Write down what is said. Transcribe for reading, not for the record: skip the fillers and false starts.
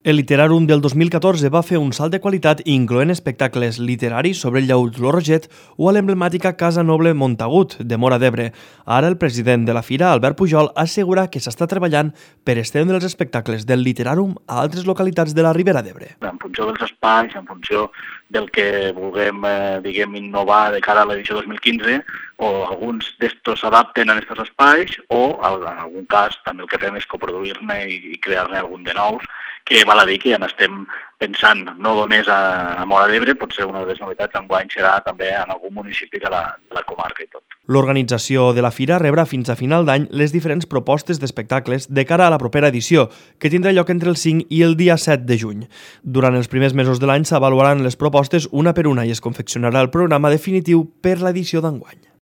El Literàrum del 2014 va fer un salt de qualitat incloent espectacles literaris sobre el llaüt Lo Roget o a l'emblemàtica Casa Noble Montagut, de Móra d'Ebre. Ara el president de la fira, Albert Pujol, assegura que s'està treballant per estendre els espectacles del Literàrum a altres localitats de la Ribera d'Ebre. En funció dels espais, en funció del que vulguem innovar de cara a l'edició 2015, o alguns d'estos s'adapten a aquests espais o, en algun cas, també el que fem és coproduir-ne i crear-ne algun de nous, que val a dir que ja n'estem pensant no només a Móra d'Ebre, potser una de les novetats enguany serà també en algun municipi de la comarca i tot. L'organització de la fira rebrà fins a final d'any les diferents propostes d'espectacles de cara a la propera edició, que tindrà lloc entre el 5 i el dia 7 de juny. Durant els primers mesos de l'any s'avaluaran les propostes una per una i es confeccionarà el programa definitiu per l'edició d'enguany.